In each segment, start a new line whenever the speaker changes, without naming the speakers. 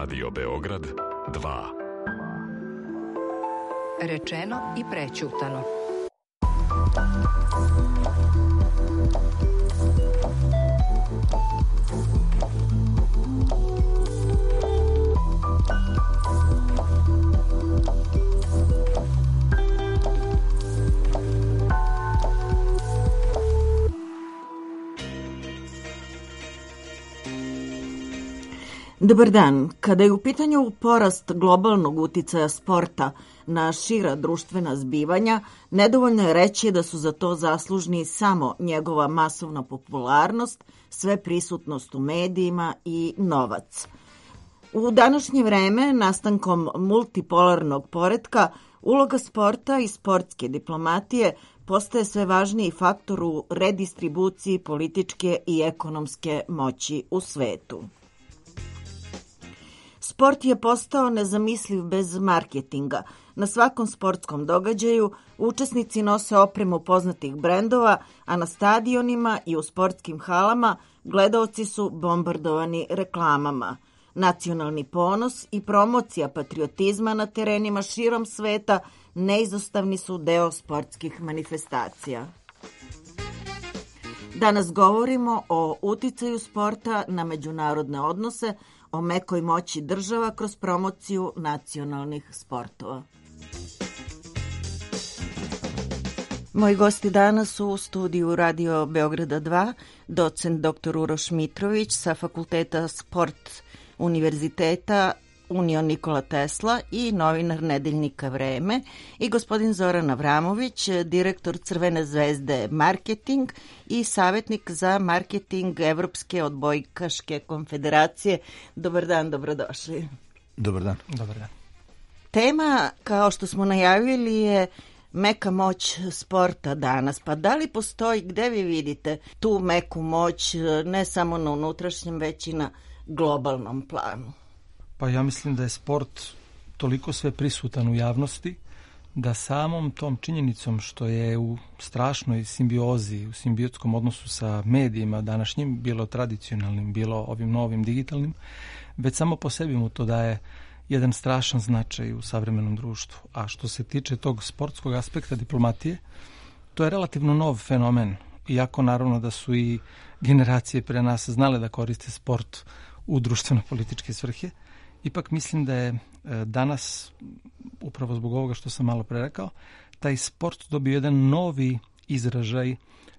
Radio Beograd 2.
Rečeno i prećutano.
Dobar dan. Kada je u pitanju porast globalnog uticaja sporta na šira društvena zbivanja, nedovoljno je reći da su za to zaslužni samo njegova masovna popularnost, sveprisutnost u medijima i novac. U današnje vreme, nastankom multipolarnog poretka, uloga sporta i sportske diplomatije postaje sve važniji faktor u redistribuciji političke i ekonomske moći u svetu. Sport je postao nezamisliv bez marketinga. Na svakom sportskom događaju učesnici nose opremu poznatih brendova, a na stadionima i u sportskim halama gledaoci su bombardovani reklamama. Nacionalni ponos i promocija patriotizma na terenima širom sveta neizostavni su deo sportskih manifestacija. Danas govorimo o uticaju sporta na međunarodne odnose, o mekoj moći država kroz promociju nacionalnih sportova. Moji gosti danas su u studiju Radio Beograda 2, docent dr. Uroš Mitrović sa Fakulteta sport Univerziteta Union Nikola Tesla i novinar Nedeljnika Vreme i gospodin Zoran Avramović, direktor Crvene zvezde marketing i savjetnik za marketing Evropske odbojkaške konfederacije. Dobar dan, dobrodošli.
Dobar dan.
Dobar dan.
Tema, kao što smo najavili, je meka moć sporta danas. Pa da li postoji, gde vi vidite tu meku moć, ne samo na unutrašnjem, već i na globalnom planu?
Pa ja mislim da je sport toliko sve prisutan u javnosti da samom tom činjenicom što je u strašnoj simbiozi, u simbiotskom odnosu sa medijima današnjim, bilo tradicionalnim, bilo ovim novim digitalnim, već samo po sebi mu to daje jedan strašan značaj u savremenom društvu. A što se tiče tog sportskog aspekta diplomatije, to je relativno nov fenomen, iako naravno da su i generacije pre nas znale da koriste sport u društveno-političke svrhe. Ipak mislim da je danas, upravo zbog ovoga što sam malo pre rekao, taj sport dobio jedan novi izražaj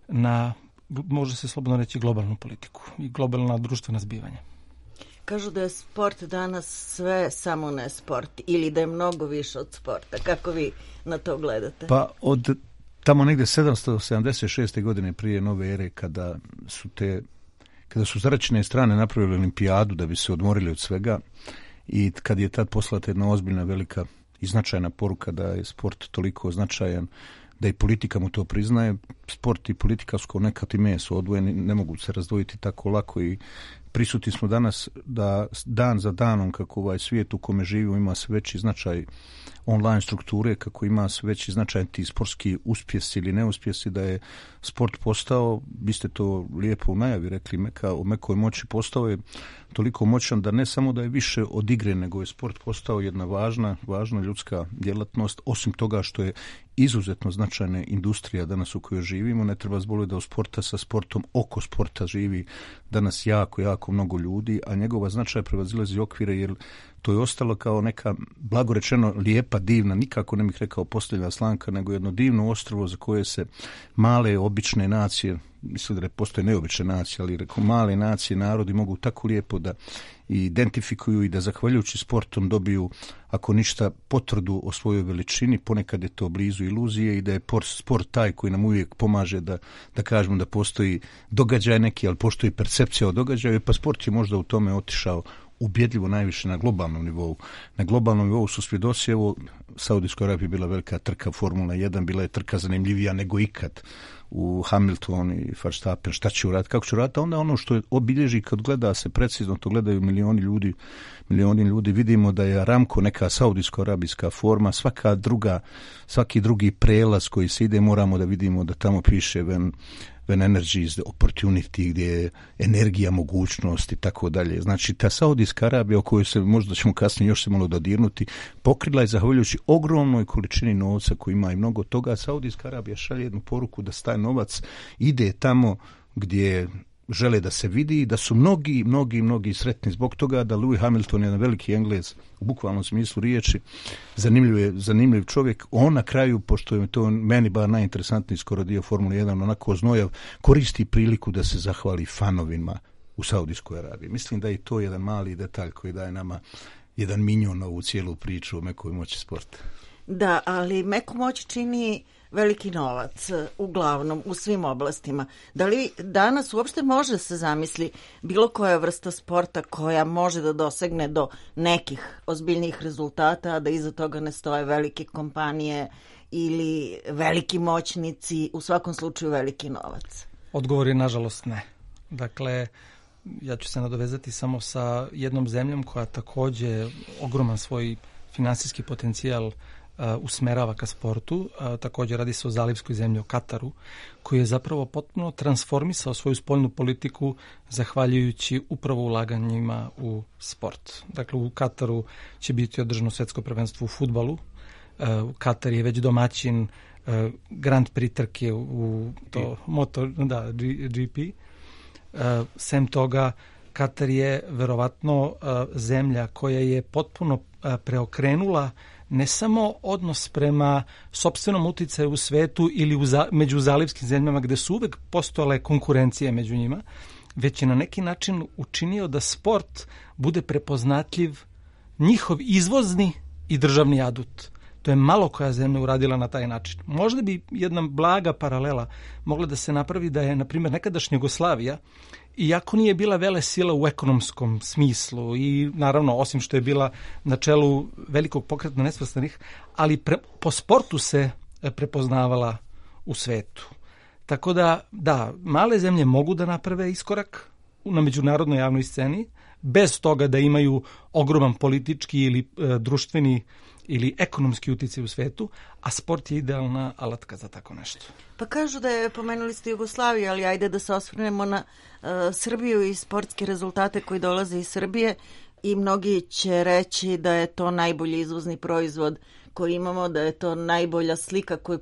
na, može se slobodno reći, globalnu politiku i globalna društvena zbivanja.
Kažu da je sport danas sve samo ne sport ili da je mnogo više od sporta. Kako vi na to gledate?
Pa od tamo negde 776. godine prije nove ere, kada su zračne strane napravili olimpijadu da bi se odmorili od svega i kad je tad poslata jedna ozbiljna, velika i značajna poruka da je sport toliko značajan, da i politika mu to priznaje, sport i politika su nekad i meso odvojeni, ne mogu se razdvojiti tako lako i prisutni smo danas da dan za danom kako ovaj svijet u kome živimo ima sve veći značaj online strukture, kako ima sve veći značaj ti sportski uspjesi ili neuspjesi, da je sport postao, vi ste to lijepo u najavi rekli, o mekoj moći, postao je toliko moćan da ne samo da je više od igre, nego je sport postao jedna važna ljudska djelatnost, osim toga što je izuzetno značajna industrija danas u kojoj živimo. Ne treba zboliti da u sporta sa sportom oko sporta živi danas jako mnogo ljudi, a njegova značaj prevazilazi okvire, jer to je ostalo kao neka, blago rečeno, lijepa, divna, nikako ne bih rekao posljednja slanka, nego jedno divno ostrvo za koje se male, obične nacije, mislim da postoje neobične nacije, ali rekao male nacije, narodi mogu tako lijepo da identifikuju i da zahvaljujući sportom dobiju, ako ništa, potvrdu o svojoj veličini. Ponekad je to blizu iluzije i da je sport taj koji nam uvijek pomaže da kažemo da postoji događaj neki, ali postoji percepcija o događaju, pa sport je možda u tome otišao ubjedljivo najviše na globalnom nivou. Na globalnom nivou su svjedoci, evo, Saudijskoj Arabiji bila velika trka Formula 1, bila je trka zanimljivija nego ikad u Hamilton i Verstappen, šta će uraditi, kako će uraditi, a onda ono što je obilježi kad gleda se precizno, to gledaju milioni ljudi, vidimo da je Aramco neka saudijsko-arabijska forma, svaki drugi prelaz koji se ide moramo da vidimo da tamo piše when energy is the opportunity, gdje je energija, mogućnost i tako dalje. Znači, ta Saudijska Arabija, o kojoj se možda ćemo kasnije još se malo dodirnuti, pokrila je zahvaljujući ogromnoj količini novca koji ima i mnogo toga. Saudijska Arabija šalje jednu poruku da taj novac ide tamo gdje žele da se vidi, da su mnogi sretni zbog toga, da Lewis Hamilton je jedan veliki Englez u bukvalnom smislu riječi, zanimljiv čovjek. On na kraju, pošto je to meni bar najinteresantniji skoro dio Formule 1, onako znojav, koristi priliku da se zahvali fanovima u Saudijskoj Arabiji. Mislim da je to jedan mali detalj koji daje nama jedan minjon na ovu cijelu priču o mekoj moći sporta.
Da, ali meku moć čini veliki novac, uglavnom, u svim oblastima. Da li danas uopšte može se zamisli bilo koja vrsta sporta koja može da dosegne do nekih ozbiljnih rezultata, a da iza toga ne stoje velike kompanije ili veliki moćnici, u svakom slučaju veliki novac?
Odgovor je nažalost ne. Dakle, ja ću se nadovezati samo sa jednom zemljom koja takođe ogroman svoj finansijski potencijal usmerava ka sportu. Također radi se o zalivskoj zemlji, o Kataru, koji je zapravo potpuno transformisao svoju spoljnu politiku zahvaljujući upravo ulaganjima u sport. Dakle, u Kataru će biti održano svjetsko prvenstvo u fudbalu. Katar je već domaćin Grand Prix trke u GP. Sem toga, Katar je verovatno zemlja koja je potpuno preokrenula ne samo odnos prema sopstvenom uticaju u svetu ili među zalivskim zemljama gde su uvek postojale konkurencije među njima, već je na neki način učinio da sport bude prepoznatljiv njihov izvozni i državni adut. To je malo koja zemlja uradila na taj način. Možda bi jedna blaga paralela mogla da se napravi da je, na primjer, nekadašnja Jugoslavija, iako nije bila velesila u ekonomskom smislu i naravno, osim što je bila na čelu velikog pokreta nesvrstanih, ali po sportu se prepoznavala u svetu. Tako da, male zemlje mogu da naprave iskorak na međunarodnoj javnoj sceni, bez toga da imaju ogroman politički ili društveni ili ekonomski uticaj u svetu, a sport je idealna alatka za tako nešto.
Pa kažu da je, pomenuli ste Jugoslaviju, ali ajde da se osvrnemo na Srbiju i sportske rezultate koji dolaze iz Srbije, i mnogi će reći da je to najbolji izvozni proizvod koji imamo, da je to najbolja slika koju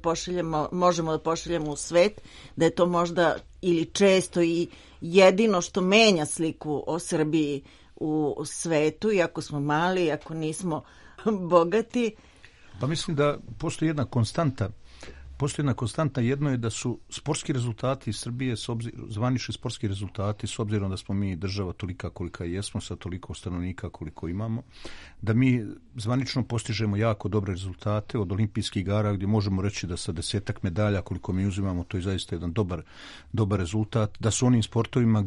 možemo da pošaljemo u svet, da je to možda ili često i jedino što menja sliku o Srbiji u svetu, iako smo mali, iako nismo bogati.
Pa mislim da postoji jedna konstanta. Jedno je da su sportski rezultati iz Srbije, zvanični sportski rezultati, s obzirom da smo mi država tolika kolika jesmo, sa toliko stanovnika koliko imamo, da mi zvanično postižemo jako dobre rezultate od olimpijskih igara, gdje možemo reći da sa 10 medalja koliko mi uzimamo, to je zaista jedan dobar rezultat, da su onim sportovima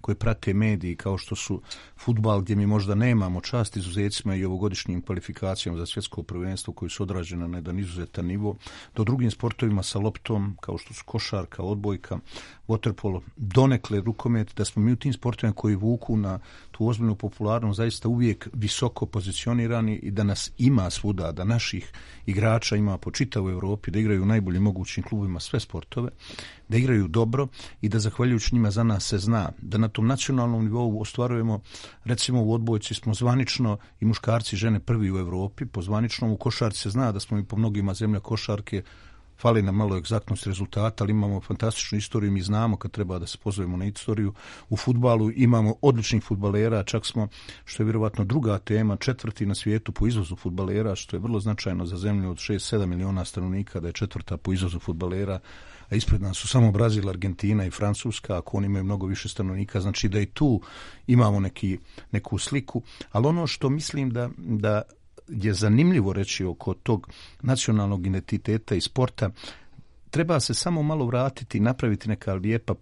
koje prate mediji, kao što su fudbal, gdje mi možda nemamo čast izuzecima i ovogodišnjim kvalifikacijama za svjetsko prvenstvo koji su odrađene na jedan izuzetan nivo, do drugim sportovima sa loptom, kao što su košarka, odbojka, waterpolo, donekle rukomet, da smo mi u tim sportovima koji vuku na tu ozbiljnu popularnost zaista uvijek visoko pozicionirani i da nas ima svuda, da naših igrača ima po čitavoj Europi, da igraju u najboljim mogućim klubovima sve sportove, da igraju dobro i da zahvaljujući njima za nas se zna, da na tom nacionalnom nivou ostvarujemo, recimo u odbojci smo zvanično i muškarci i žene prvi u Europi, po zvaničnom u košarci se zna da smo i po mnogima zemlja košarke, fali nam malo egzaktnost rezultata, ali imamo fantastičnu istoriju, mi znamo kad treba da se pozovemo na istoriju. U fudbalu imamo odličnih fudbalera, čak smo, što je vjerovatno druga tema, 4. na svijetu po izvozu fudbalera, što je vrlo značajno za zemlju od 6-7 miliona stanovnika, da je 4. po izvozu fudbalera, a ispred nas su samo Brazil, Argentina i Francuska, ako oni imaju mnogo više stanovnika, znači da i tu imamo neku sliku, ali ono što mislim da je zanimljivo reći oko tog nacionalnog identiteta i sporta, treba se samo malo vratiti i napraviti neka lijepa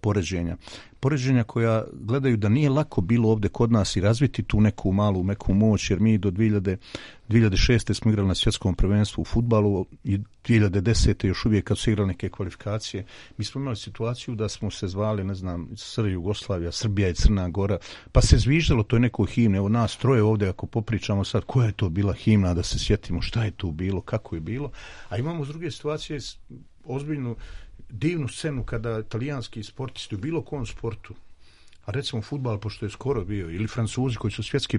poređenja koja gledaju da nije lako bilo ovdje kod nas i razviti tu neku malu meku moć, jer mi do 2006. smo igrali na svjetskom prvenstvu u fudbalu i 2010. još uvijek kad su igrali neke kvalifikacije, mi smo imali situaciju da smo se zvali, ne znam, Jugoslavija, Srbija i Crna Gora, pa se zviždalo to je neko himne, evo nas troje ovdje ako popričamo sad koja je to bila himna, da se sjetimo šta je tu bilo, kako je bilo, a imamo s druge situacije ozbiljnu divnu scenu kada italijanski sportisti u bilo kom sportu, a recimo fudbal, pošto je skoro bio, ili Francuzi koji su svjetski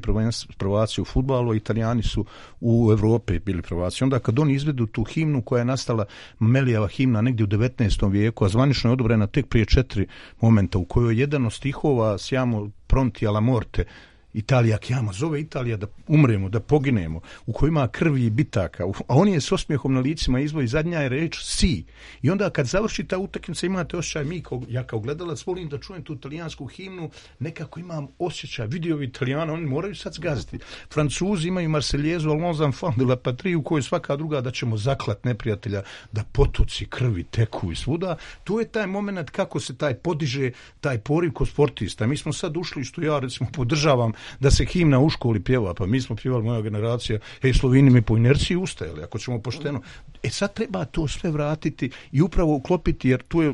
prvaci u fudbalu, a Italijani su u Evropi bili prvaci. Onda kad oni izvedu tu himnu koja je nastala, Melijeva himna negdje u 19. vijeku, a zvanično je odobrena tek prije 4 momenta, u kojoj jedan od stihova Siamo pronti alla morte, Italija chiama, zove Italija da umremo, da poginemo, u kojoj ima krvi i bitaka, a on je s osmijehom na licima izvoji, zadnja je reč si. I onda kad završi ta utakmica imate osjećaj, ja kao gledalac volim da čujem tu italijansku himnu, nekako imam osjećaj, vidio Italijana, oni moraju sad zgaziti. Francuzi imaju Marseljezu, Allons enfants de la patrie, u kojoj svaka druga da ćemo zaklat neprijatelja, da potoci krvi teku i svuda. Tu je taj moment kako se taj podiže, taj poriv kod sportista. Mi smo sad ušli, što ja recimo podržavam, da se himna u školi pjeva, pa mi smo pjevali, moja generacija, Slovini mi po inerciji ustajali, ako ćemo pošteno. Sad treba to sve vratiti i upravo uklopiti, jer tu je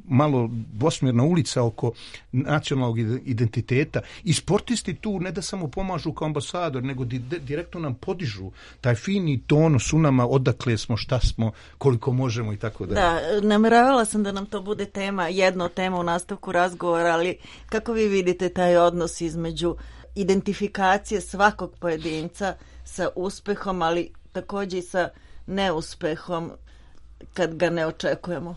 malo dvosmjerna ulica oko nacionalnog identiteta i sportisti tu ne da samo pomažu kao ambasador, nego direktno nam podižu taj fini tonus u nama, odakle smo, šta smo, koliko možemo i tako dalje.
Da, nameravala sam da nam to bude jedna tema u nastavku razgovora, ali kako vi vidite taj odnos između identifikacije svakog pojedinca sa uspehom, ali također i sa neuspehom kad ga ne očekujemo?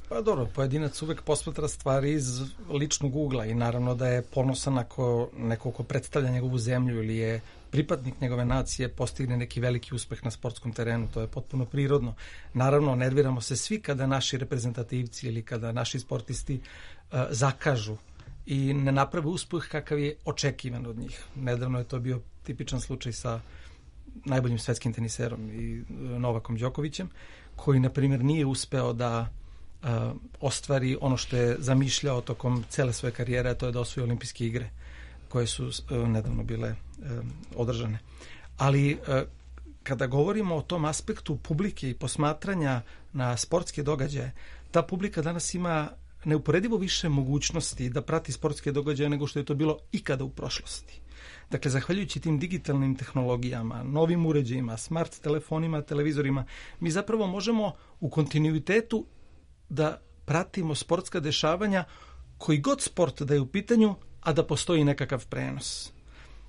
Pa dobro, pojedinac uvek posmatra stvari iz ličnog ugla i naravno da je ponosan ako neko ko predstavlja njegovu zemlju ili je pripadnik njegove nacije postigne neki veliki uspeh na sportskom terenu, to je potpuno prirodno. Naravno, nerviramo se svi kada naši reprezentativci ili kada naši sportisti zakažu i ne naprave uspeh kakav je očekivan od njih. Nedavno je to bio tipičan slučaj sa najboljim svetskim teniserom i Novakom Đokovićem, koji, na primjer, nije uspeo da ostvari ono što je zamišljao tokom cele svoje karijere, a to je da osvoji olimpijske igre, koje su nedavno bile održane. Ali kada govorimo o tom aspektu publike i posmatranja na sportske događaje, ta publika danas ima neuporedivo više mogućnosti da prati sportske događaje nego što je to bilo ikada u prošlosti. Dakle, zahvaljujući tim digitalnim tehnologijama, novim uređajima, smart telefonima, televizorima, mi zapravo možemo u kontinuitetu da pratimo sportska dešavanja koji god sport da je u pitanju, a da postoji nekakav prenos.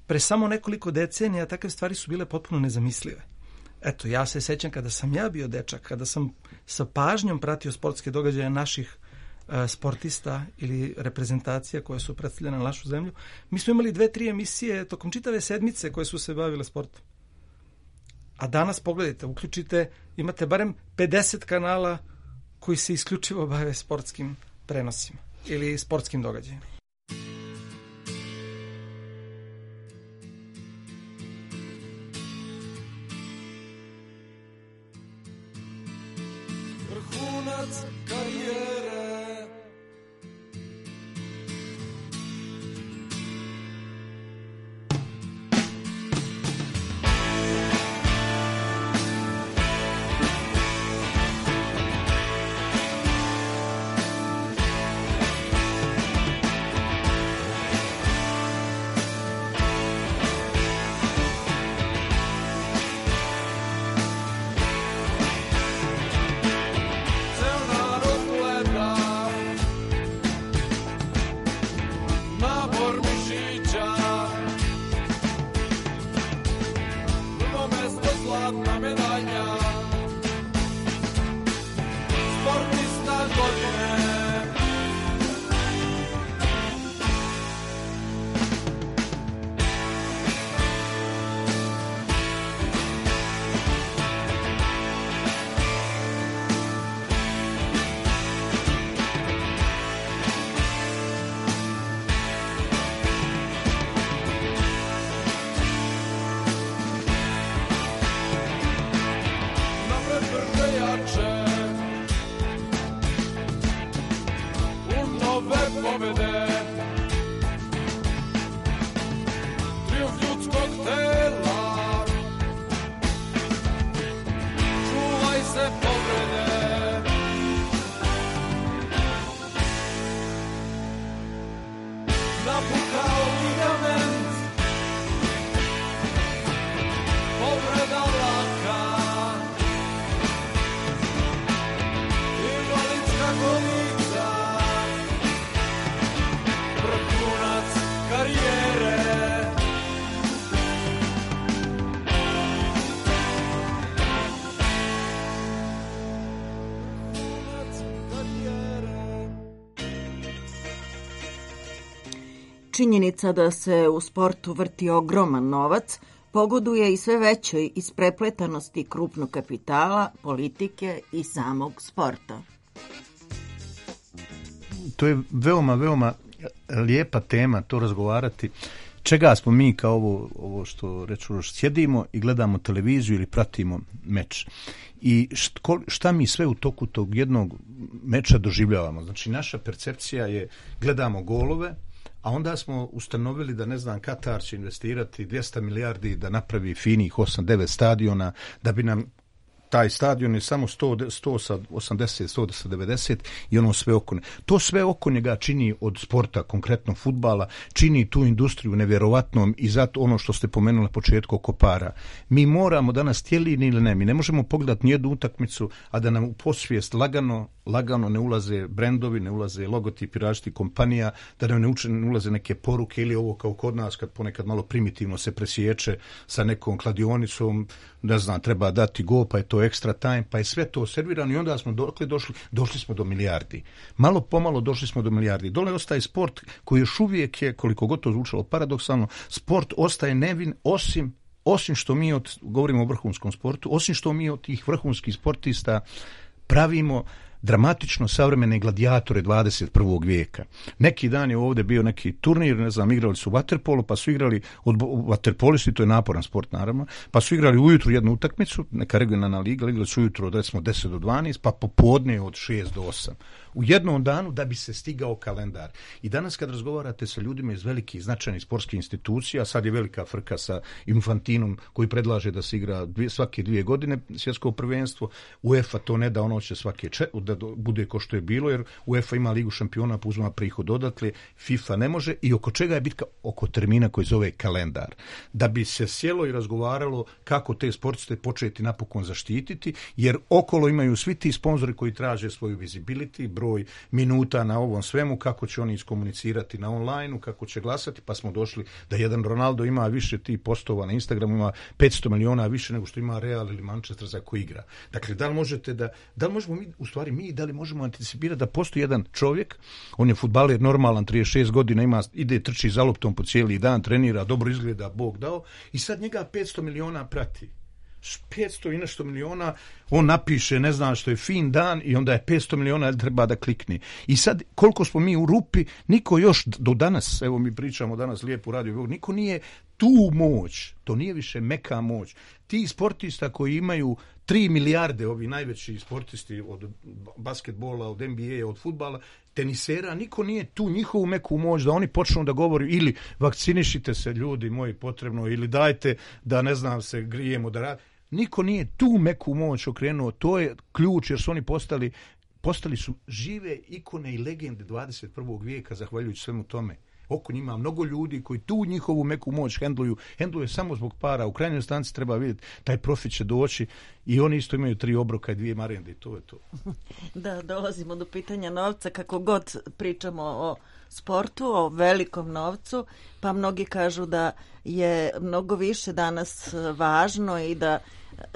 Pre samo nekoliko decenija takve stvari su bile potpuno nezamislive. Eto, ja se sećam kada sam ja bio dečak, kada sam sa pažnjom pratio sportske događaje naših sportista ili reprezentacija koje su predstavljene na našu zemlju, mi smo imali 2-3 emisije tokom čitave sedmice koje su se bavile sportom. A danas pogledajte, uključite, imate barem 50 kanala koji se isključivo bave sportskim prenosima ili sportskim događajima.
Vrhunac karijere.
Ceo narod gleda
činjenica da se u sportu vrti ogroman novac pogoduje i sve većoj isprepletanosti krupnog kapitala, politike i samog sporta.
To je veoma lijepa tema, to razgovarati. Čega smo mi kao ovo što reču, sjedimo i gledamo televiziju ili pratimo meč. I šta mi sve u toku tog jednog meča doživljavamo. Znači, naša percepcija je, gledamo golove, a onda smo ustanovili da, ne znam, Katar će investirati 200 milijardi da napravi finih 8-9 stadiona, da bi nam taj stadion je samo 100 sa 80, 100 sa 90 i ono sve oko. To sve oko njega čini od sporta, konkretno fudbala, čini tu industriju nevjerovatnom i zato ono što ste pomenuli na početku oko para. Mi moramo danas, htjeli ili ne, mi ne možemo pogledati nijednu utakmicu, a da nam u posvijest lagano ne ulaze brendovi, ne ulaze logotipi različitih kompanija, da nam ne ulaze neke poruke ili ovo kao kod nas kad ponekad malo primitivno se presječe sa nekom kladionicom, ne znam, treba dati go, pa je to extra time, pa je sve to servirano i onda smo došli smo do milijardi. Malo pomalo došli smo do milijardi. Dole ostaje sport koji još uvijek je, koliko god to zvučalo paradoksalno, sport ostaje nevin osim što mi govorimo o vrhunskom sportu, osim što mi od tih vrhunskih sportista pravimo dramatično savremene gladiatore 21. vijeka. Neki dan je ovdje bio neki turnir, ne znam, igrali su vaterpolo, pa su igrali vaterpolisti, to je naporan sport naravno, pa su igrali ujutru jednu utakmicu, neka regionalna liga, igrali su ujutru od recimo 10 do 12, pa popodne od 6 do 8. U jednom danu da bi se stigao kalendar. I danas kad razgovarate sa ljudima iz velikih značajnih sportskih institucija, sad je velika frka sa Infantinom koji predlaže da se igra svake 2 godine svjetsko prvenstvo, UEFA to ne da, ono će da bude ko što je bilo, jer UEFA ima ligu šampiona, pa uzma prihod odatle, FIFA ne može, i oko čega je bitka? Oko termina koji zove kalendar. Da bi se sjelo i razgovaralo kako te sportiste početi napokon zaštititi, jer okolo imaju svi ti sponzori koji traže svoju visibility, broj minuta na ovom svemu, kako će oni iskomunicirati na online-u, kako će glasati, pa smo došli da jedan Ronaldo ima više tih postova na Instagramu, ima 500 miliona više nego što ima Real ili Manchester za koji igra. Dakle, da li možemo mi, u stvari da li možemo anticipirati da postoji jedan čovjek, on je fudbaler normalan, 36 godina, ide trči za loptom po cijeli dan, trenira, dobro izgleda, Bog dao, i sad njega 500 miliona prati. 500 i nešto miliona, on napiše, ne znam što je fin dan, i onda je 500 miliona, treba da klikne. I sad, koliko smo mi u rupi, niko još do danas, evo mi pričamo danas lijepo u radiju, niko nije tu moć, to nije više meka moć. Ti sportista koji imaju 3 milijarde, ovi najveći sportisti od basketbola, od NBA, od fudbala, tenisera, niko nije tu njihovu meku moć da oni počnu da govori ili vakcinišite se ljudi moji potrebno, ili dajte da, ne znam, se grijemo da radi. Niko nije tu meku moć okrenuo, to je ključ, jer su oni postali su žive ikone i legende 21. vijeka zahvaljujući svemu tome. Oko njima mnogo ljudi koji tu njihovu meku moć hendluje samo zbog para. U krajnjoj stanci treba vidjeti, taj profit će doći, i oni isto imaju 3 obroka i 2 marende, i to je to.
Da, dolazimo do pitanja novca, kako god pričamo o sportu, o velikom novcu, pa mnogi kažu da je mnogo više danas važno i da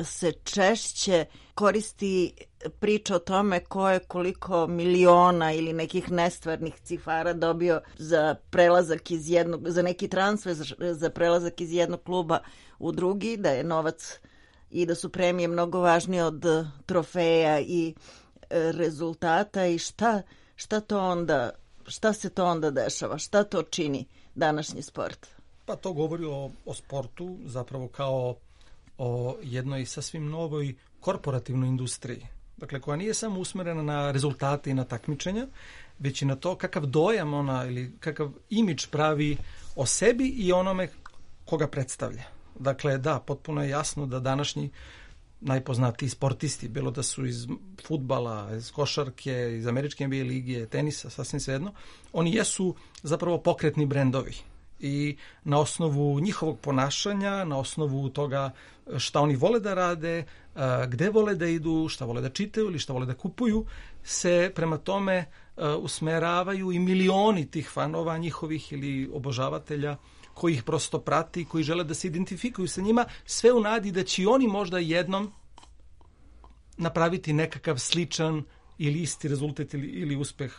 se češće koristi priča o tome ko je koliko miliona ili nekih nestvarnih cifara dobio za prelazak iz jednog, za neki transfer, za prelazak iz jednog kluba u drugi, da je novac i da su premije mnogo važnije od trofeja i rezultata. I šta se to onda dešava? Šta to čini današnji sport?
Pa to govori o sportu zapravo kao o jednoj sasvim novoj korporativnoj industriji. Dakle, koja nije samo usmjerena na rezultate i na takmičenja, već i na to kakav dojam ona ili kakav imidž pravi o sebi i onome koga predstavlja. Dakle, da, potpuno je jasno da današnji najpoznatiji sportisti, bilo da su iz fudbala, iz košarke, iz američke NBA lige, tenisa, sasvim svejedno, oni jesu zapravo pokretni brendovi. I na osnovu njihovog ponašanja, na osnovu toga šta oni vole da rade, gde vole da idu, šta vole da čitaju ili šta vole da kupuju, se prema tome usmeravaju i milioni tih fanova njihovih ili obožavatelja koji ih prosto prati, koji žele da se identifikuju sa njima, sve u nadi da će oni možda jednom napraviti nekakav sličan ili isti rezultat ili uspeh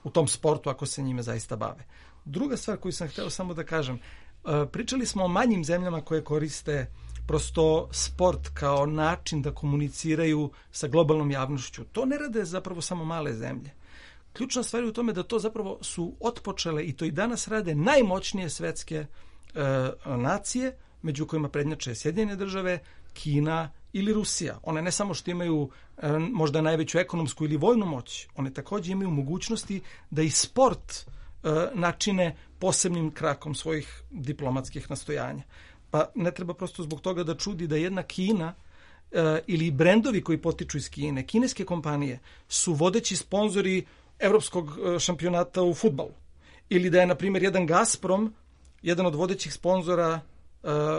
u tom sportu ako se njime zaista bave. Druga stvar koju sam hteo samo da kažem, pričali smo o manjim zemljama koje koriste prosto sport kao način da komuniciraju sa globalnom javnošću. To ne rade zapravo samo male zemlje. Ključna stvar je u tome da to zapravo su otpočele i to i danas rade najmoćnije svetske nacije, među kojima prednjače Sjedinjene države, Kina ili Rusija. One ne samo što imaju možda najveću ekonomsku ili vojnu moć, one takođe imaju mogućnosti da i sport načine posebnim krakom svojih diplomatskih nastojanja. Pa ne treba prosto zbog toga da čudi da jedna Kina ili brendovi koji potiču iz Kine, kineske kompanije, su vodeći sponzori evropskog šampionata u fudbalu. Ili da je, na primjer, jedan Gazprom jedan od vodećih sponzora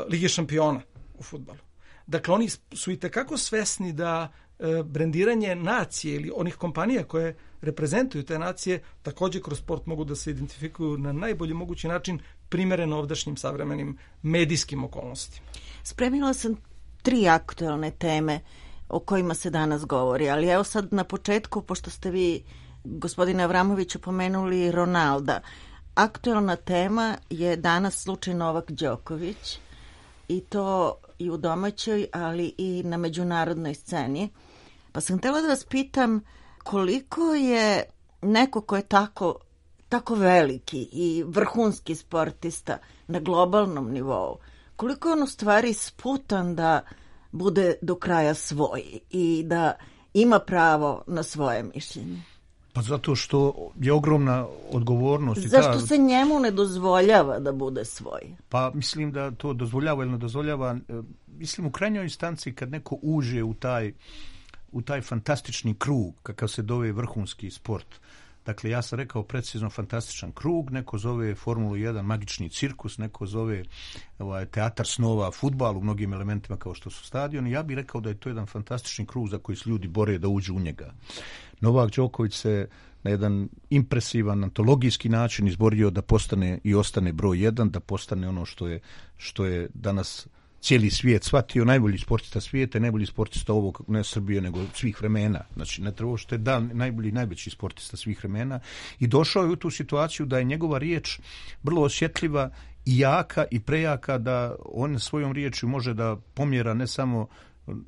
Lige šampiona u fudbalu. Dakle, oni su i tekako svesni da brendiranje nacije ili onih kompanija koje reprezentuju te nacije takođe kroz sport mogu da se identifikuju na najbolji mogući način primereno ovdašnjim savremenim medijskim okolnostima.
Spremila sam 3 aktuelne teme o kojima se danas govori, ali evo sad na početku, pošto ste vi, gospodine Avramoviću, pomenuli Ronalda, aktuelna tema je danas slučaj Novak Đoković i to i u domaćoj, ali i na međunarodnoj sceni. Pa sam htjela da vas pitam koliko je neko ko je tako veliki i vrhunski sportista na globalnom nivou, koliko je on u stvari sputan da bude do kraja svoj i da ima pravo na svoje mišljenje?
Pa zato što je ogromna odgovornost.
Zašto se njemu ne dozvoljava da bude svoj?
Pa mislim da to dozvoljava ili ne dozvoljava. Mislim u krajnjoj instanci kad neko uđe u taj fantastični krug, kakav se zove vrhunski sport. Dakle, ja sam rekao precizno fantastičan krug, neko zove Formulu 1 magični cirkus, neko zove teatar snova fudbal u mnogim elementima kao što su stadioni. Ja bih rekao da je to jedan fantastični krug za koji se ljudi bore da uđu u njega. Novak Đoković se na jedan impresivan, antologijski način izborio da postane i ostane broj 1, da postane ono što je danas cijeli svijet shvatio, najbolji sportista svijeta, najbolji sportista ovog, ne Srbije, nego svih vremena. Znači, ne treba što je najbolji, najveći sportista svih vremena. I došao je u tu situaciju da je njegova riječ vrlo osjetljiva i jaka i prejaka, da on svojom riječju može da pomjera ne samo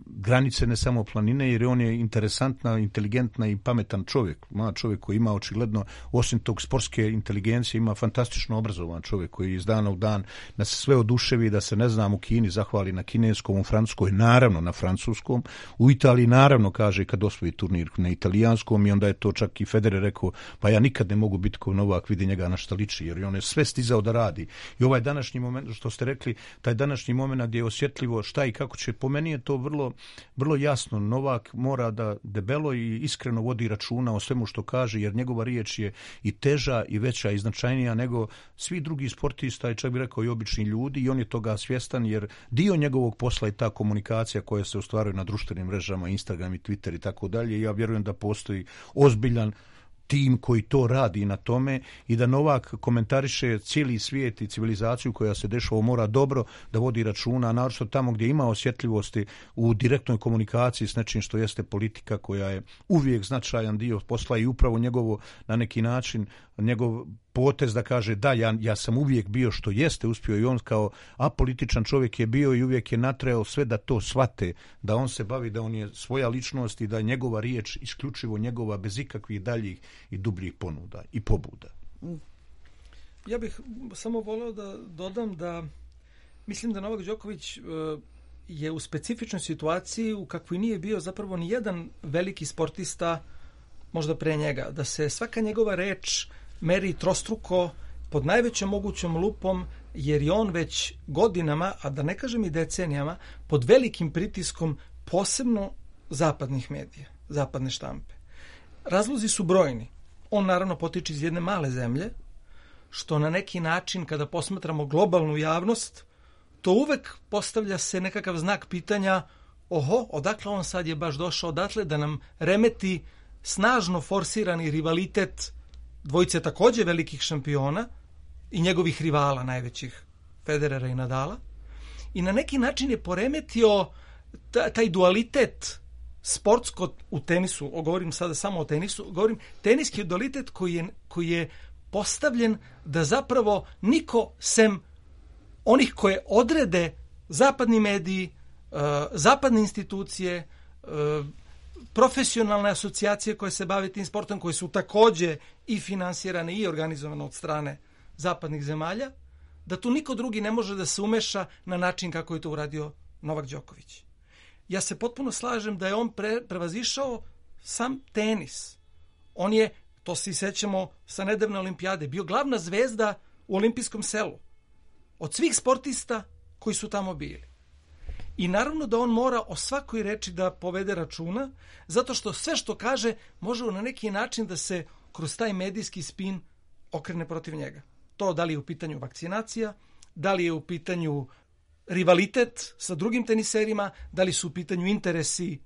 granice, ne samo planine, jer on je interesantna, inteligentna i pametan čovjek. Mlad čovjek koji ima očigledno, osim tog sportske inteligencije, ima fantastično obrazovan čovjek koji iz dana u dan da se sve oduševi, da se, ne znam, u Kini zahvali na kineskom, u Francuskoj naravno na francuskom, u Italiji naravno kaže kad osvoji turnir na italijanskom, i onda je to čak i Federer rekao, pa ja nikad ne mogu biti kao Novak, vidi njega na šta liči, jer on je sve stizao da radi. I ovaj današnji moment, što ste rekli, taj današnji moment gdje je osjetljivo šta i kako će, po meni je to vrlo jasno. Novak mora da debelo i iskreno vodi računa o svemu što kaže, jer njegova riječ je i teža i veća i značajnija nego svi drugi sportista i čak bih rekao i obični ljudi, i on je toga svjestan, jer dio njegovog posla je ta komunikacija koja se ostvaruje na društvenim mrežama, Instagram i Twitter i tako dalje. Ja vjerujem da postoji ozbiljan tim koji to radi na tome i da Novak komentariše cijeli svijet i civilizaciju koja se dešava, mora dobro da vodi računa, naročito tamo gdje ima osjetljivosti u direktnoj komunikaciji s nečim što jeste politika, koja je uvijek značajan dio posla, i upravo njegovo, na neki način, njegov potez da kaže da, ja sam uvijek bio što jeste uspio, i on kao apolitičan čovjek je bio i uvijek je natreo sve da to shvate, da on se bavi, da on je svoja ličnost i da je njegova riječ isključivo njegova, bez ikakvih daljih i dubljih ponuda i pobuda.
Ja bih samo voleo da dodam da mislim da Novak Đoković je u specifičnoj situaciji u kakvoj nije bio zapravo ni jedan veliki sportista možda pre njega, da se svaka njegova reč meri trostruko pod najvećom mogućom lupom, jer je on već godinama, a da ne kažem i decenijama, pod velikim pritiskom posebno zapadnih medija, zapadne štampe. Razlozi su brojni. On naravno potiče iz jedne male zemlje, što na neki način, kada posmatramo globalnu javnost, to uvek postavlja se nekakav znak pitanja, odakle on sad je baš došao odatle da nam remeti snažno forsirani rivalitet dvojice takođe velikih šampiona i njegovih rivala najvećih, Federera i Nadala, i na neki način je poremetio taj dualitet sportsko u tenisu, govorim sada samo o tenisu, govorim teniski dualitet koji je postavljen da zapravo niko sem onih koje odrede zapadni mediji, zapadne institucije, profesionalne asocijacije koje se bave tim sportom, koje su takođe i finansirane i organizovane od strane zapadnih zemalja, da tu niko drugi ne može da se umeša na način kako je to uradio Novak Đoković. Ja se potpuno slažem da je on prevazišao sam tenis. On je, to se sećamo sa nedavne olimpijade, bio glavna zvezda u olimpijskom selu. Od svih sportista koji su tamo bili. I naravno da on mora o svakoj reči da povede računa, zato što sve što kaže može na neki način da se kroz taj medijski spin okrene protiv njega. To da li je u pitanju vakcinacija, da li je u pitanju rivalitet sa drugim teniserima, da li su u pitanju interesi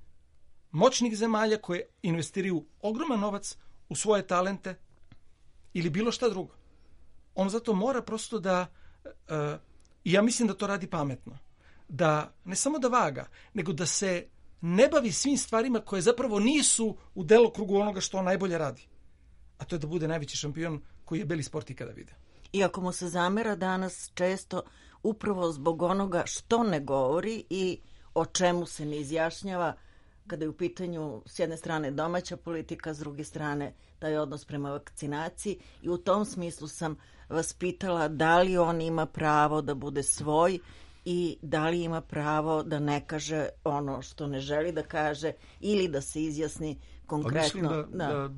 moćnih zemalja koje investiraju ogroman novac u svoje talente ili bilo šta drugo. On zato mora prosto da, i ja mislim da to radi pametno, da ne samo da vaga, nego da se ne bavi svim stvarima koje zapravo nisu u delokrugu onoga što on najbolje radi. A to je da bude najveći šampion koji je beli sport ikada video.
Iako mu se zamera danas često upravo zbog onoga što ne govori i o čemu se ne izjašnjava, kada je u pitanju s jedne strane domaća politika, s druge strane taj odnos prema vakcinaciji, i u tom smislu sam vas pitala da li on ima pravo da bude svoj i da li ima pravo da ne kaže ono što ne želi da kaže ili da se izjasni konkretno.
Pa mislim da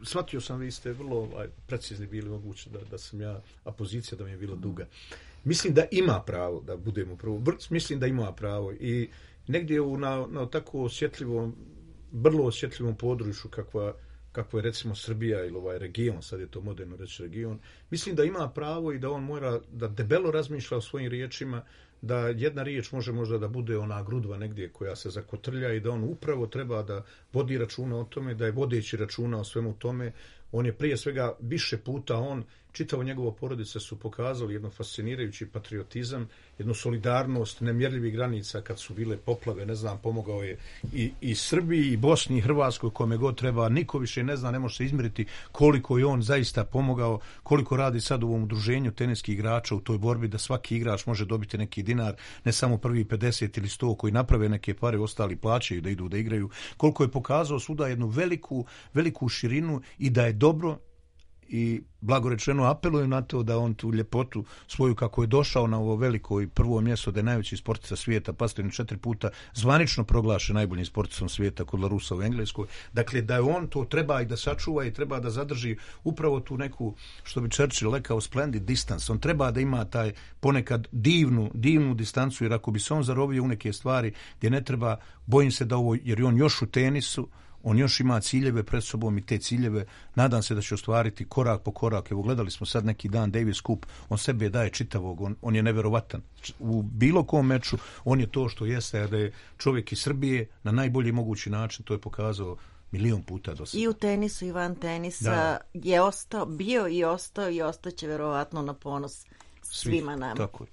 shvatio sam, vi ste vrlo precizni bili, moguće da sam ja, a pozicija da mi je bila duga. Mislim da ima pravo da budemo prvo. Mislim da ima pravo i negdje na tako osjetljivom, vrlo osjetljivom području kakva je recimo Srbija ili ovaj region, sad je to moderno reći region, mislim da ima pravo i da on mora da debelo razmišlja o svojim riječima, da jedna riječ može možda da bude ona grudva negdje koja se zakotrlja i da on upravo treba da vodi računa o tome, da je vodeći računa o svemu tome. On je prije svega više puta, čitavo njegovo porodice su pokazali jedno fascinirajući patriotizam, jednu solidarnost nemjerljivih granica kad su bile poplave, ne znam, pomogao je i Srbiji, i Bosni, i Hrvatskoj, kome god treba, niko više ne zna, ne može se izmjeriti koliko je on zaista pomogao, koliko radi sad u ovom udruženju teniskih igrača u toj borbi da svaki igrač može dobiti neki dinar, ne samo prvi 50 ili 100 koji naprave neke pare, ostali plaćaju da idu da igraju, koliko je pokazao svuda jednu veliku širinu i da je dobro. I blagorečeno apelujem na to da on tu ljepotu svoju, kako je došao na ovo veliko i prvo mjesto da je najveći sportista svijeta, pastor 4 puta zvanično proglašen najboljim sportistom svijeta kod Larusa u Engleskoj. Dakle, da je on to treba i da sačuva i treba da zadrži upravo tu neku, što bi Churchill rekao, splendid distance. On treba da ima taj ponekad divnu distancu, jer ako bi se on zarovio u neke stvari gdje ne treba, bojim se da ovo, jer je on još u tenisu, on još ima ciljeve pred sobom i te ciljeve nadam se da će ostvariti korak po korak. Evo, gledali smo sad neki dan Davis Cup, on sebe daje čitavog, on je neverovatan. U bilo kom meču on je to što jeste, da je čovjek iz Srbije na najbolji mogući način, to je pokazao milion puta do sada.
I u tenisu i van tenisa je ostao, bio i ostaće verovatno na ponos svima nama.
Tako.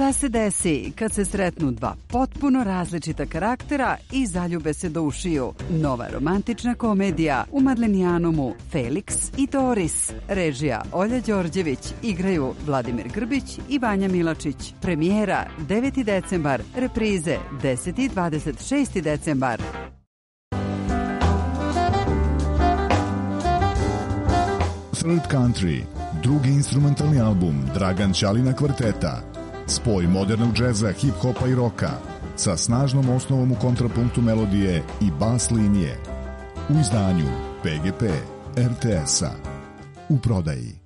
Šta se desi kad se sretnu dva potpuno različita karaktera i zaljube se do ušiju? Nova romantična komedija u Madlenijanumu Felix i Doris. Režija Olja Đorđević, igraju Vladimir Grbić i Vanja Milačić. Premijera 9. decembar, reprize 10. i 26. decembar.
Third Country, drugi instrumentalni album Dragan Ćalina kvarteta. Spoj modernog džeza, hip-hopa i roka sa snažnom osnovom u kontrapunktu melodije i bas linije. U izdanju PGP RTS-a. U prodaji.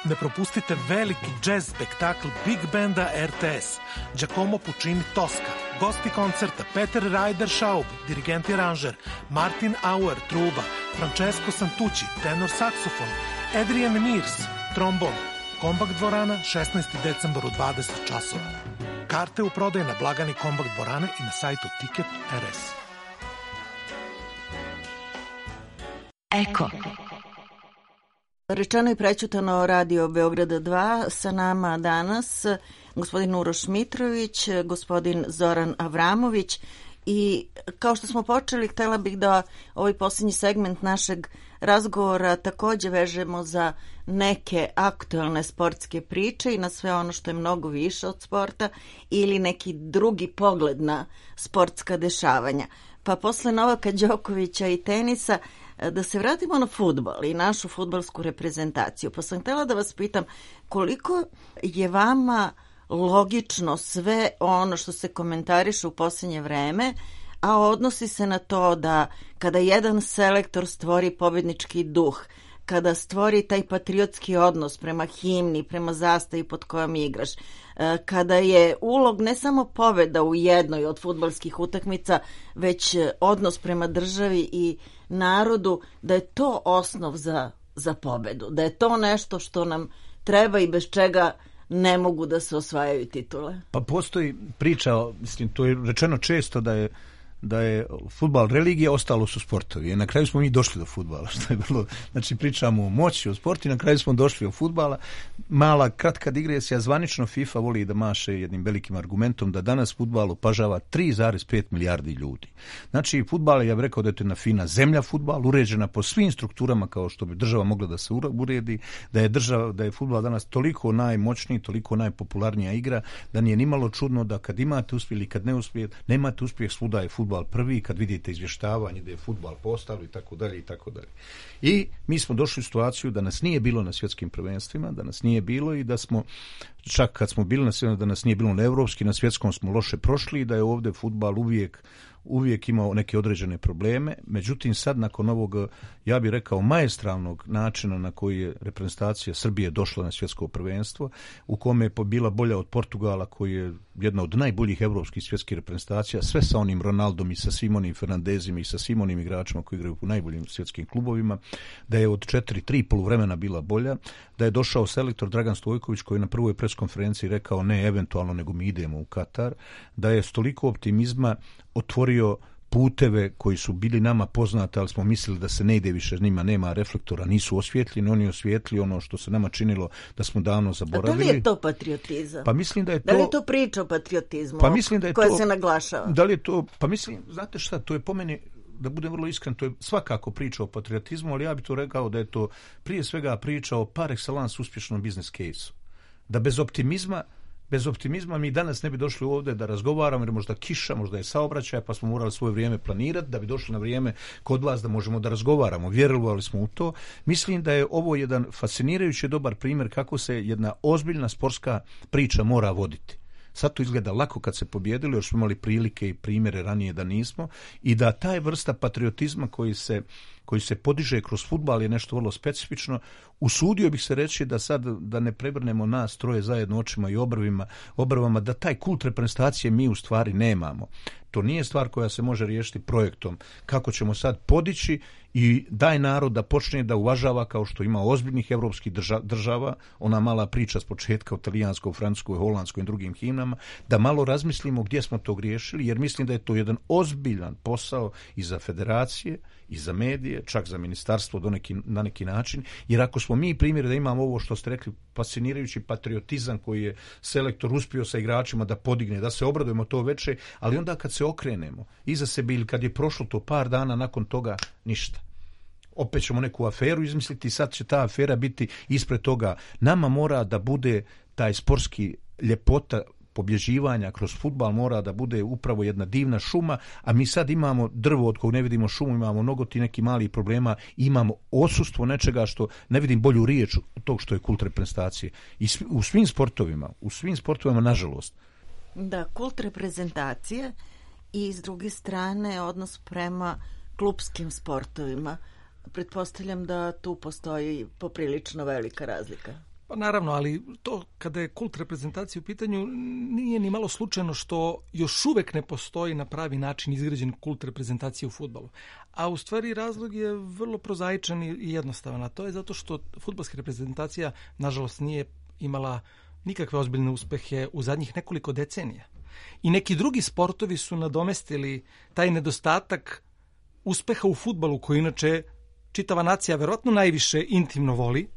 Ne propustite veliki jazz spektakl Big Banda RTS, Giacomo Puccini Tosca, gosti koncerta Peter Ryder Schaub, dirigent i aranžer, Martin Auer, truba, Francesco Santucci, tenor saksofon, Adrian Mears, trombon, Kombakt dvorana, 16. decembar u 20 časova. Karte u prodaji na blagani Kombakt dvorane i na sajtu Ticket RS.
Eko.
Rečeno i prećutano Radio Beograda 2, sa nama danas gospodin Uroš Mitrović, gospodin Zoran Avramović i kao što smo počeli, htjela bih da ovaj posljednji segment našeg razgovora također vežemo za neke aktualne sportske priče i na sve ono što je mnogo više od sporta ili neki drugi pogled na sportska dešavanja. Pa posle Novaka Đokovića i tenisa da se vratimo na fudbal i našu fudbalsku reprezentaciju. Pa sam htjela da vas pitam koliko je vama logično sve ono što se komentariše u posljednje vreme, a odnosi se na to da kada jedan selektor stvori pobjednički duh, kada stvori taj patriotski odnos prema himni, prema zastavi pod kojom igraš, kada je ulog ne samo pobjeda u jednoj od fudbalskih utakmica, već odnos prema državi i narodu, da je to osnov za pobjedu, da je to nešto što nam treba i bez čega ne mogu da se osvajaju titule.
Pa postoji priča, mislim, to je rečeno često da je fudbal religija, ostalo su sportovi. I na kraju smo mi došli do fudbala, što je bilo, znači pričamo o moći, o sportu i na kraju smo došli do fudbala. Mala, kratka digresija, zvanično FIFA voli da maše jednim velikim argumentom da danas fudbal opažava 3,5 milijardi ljudi. Znači, fudbal, ja bih rekao da je to jedna fina zemlja fudbal, uređena po svim strukturama kao što bi država mogla da se uredi, da je fudbal danas toliko najmoćniji, toliko najpopularnija igra, da nije nimalo čudno da kad imate uspjeh ili kad ne uspjeh, nemate uspjeh, svuda je fudbal prvi, kad vidite izvještavanje da je fudbal postao i tako dalje i tako dalje. I mi smo došli u situaciju da nas nije bilo na svjetskim prvenstvima, da nas nije bilo i da smo, čak kad smo bili na svjetskom, da nas nije bilo na evropski, na svjetskom smo loše prošli i da je ovdje fudbal uvijek imao neke određene probleme. Međutim, sad nakon ovog, ja bih rekao, maestralnog načina na koji je reprezentacija Srbije došla na svjetsko prvenstvo, u kome je bila bolja od Portugala, koji je jedna od najboljih evropskih svjetskih reprezentacija, sve sa onim Ronaldom i sa svim onim Fernandezima i sa svim onim igračima koji igraju u najboljim svjetskim klubovima, da je od 3 poluvremena bila bolja, da je došao selektor Dragan Stojković koji je na prvoj preskonferenciji rekao ne eventualno, nego mi idemo u Katar, da je s toliko optimizma otvorio puteve koji su bili nama poznati, ali smo mislili da se ne ide više, njima nema reflektora, nisu osvjetljeni, oni osvijetli ono što se nama činilo da smo davno zaboravili.
A da li je to patriotizam?
Pa mislim da je to...
Da li je to priča o patriotizmu koja se naglašava?
Da li je to... Pa mislim, znate šta, to je po meni, da budem vrlo iskren, to je svakako priča o patriotizmu, ali ja bih to rekao da je to prije svega priča o par excellence uspješnom business case-u. Da bez optimizma mi danas ne bi došli ovdje da razgovaramo, jer možda kiša, možda je saobraćaj, pa smo morali svoje vrijeme planirati da bi došli na vrijeme kod vas da možemo da razgovaramo. Vjerovali smo u to. Mislim da je ovo jedan fascinirajući dobar primjer kako se jedna ozbiljna sportska priča mora voditi. Sad to izgleda lako kad se pobjedili, još smo imali prilike i primjere ranije da nismo, i da taj vrsta patriotizma koji se podiže kroz fudbal je nešto vrlo specifično. Usudio bih se reći da sad, da ne prevrnemo nas troje zajedno očima i obrvama, da taj kult reprezentacije mi u stvari nemamo. To nije stvar koja se može riješiti projektom. Kako ćemo sad podići i daj narod da počne da uvažava, kao što ima ozbiljnih evropskih država, ona mala priča s početka o talijanskoj, francuskoj, holandskoj i drugim himnama, da malo razmislimo gdje smo to griješili, jer mislim da je to jedan ozbiljan posao i za federacije, i za medije, federacije, čak za ministarstvo na neki način, jer ako smo mi primjer da imamo ovo što ste rekli, fascinirajući patriotizam koji je selektor uspio sa igračima da podigne, da se obradujemo to veče, ali onda kad se okrenemo iza sebe ili kad je prošlo to par dana nakon toga, ništa. Opet ćemo neku aferu izmisliti i sad će ta afera biti ispred toga. Nama mora da bude taj sportski ljepota pobjeđivanja kroz fudbal, mora da bude upravo jedna divna šuma, a mi sad imamo drvo od kog ne vidimo šumu, imamo mnogo ti neki malih problema, imamo odsustvo nečega što ne vidim bolju riječ od tog što je kult reprezentacije. I u svim sportovima, nažalost.
Da, kult reprezentacije i s druge strane odnos prema klupskim sportovima. Pretpostavljam da tu postoji poprilično velika razlika.
Pa naravno, ali to kada je kult reprezentacije u pitanju nije ni malo slučajno što još uvek ne postoji na pravi način izgrađen kult reprezentacije u fudbalu. A u stvari razlog je vrlo prozaičan i jednostavan. A to je zato što fudbalska reprezentacija nažalost nije imala nikakve ozbiljne uspehe u zadnjih nekoliko decenija. I neki drugi sportovi su nadomestili taj nedostatak uspeha u fudbalu koji inače čitava nacija verovatno najviše intimno voli,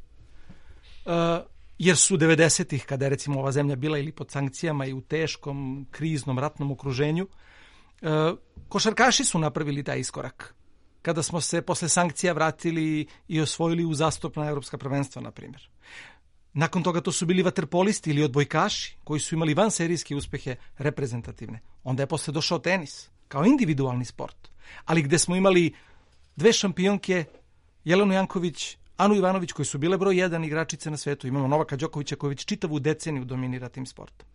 jer su 90-ih, kada je recimo ova zemlja bila ili pod sankcijama i u teškom, kriznom, ratnom okruženju, košarkaši su napravili taj iskorak. Kada smo se posle sankcija vratili i osvojili uzastopna evropska prvenstva, na primjer. Nakon toga to su bili vaterpolisti ili odbojkaši, koji su imali vanserijske uspehe reprezentativne. Onda je posle došao tenis, kao individualni sport. Ali gde smo imali dve šampionke, Jelenu Janković, Anu Ivanović, koji su bile broj 1 igračice na svetu. Imamo Novaka Đokovića koji već čitavu deceniju dominira tim sportom.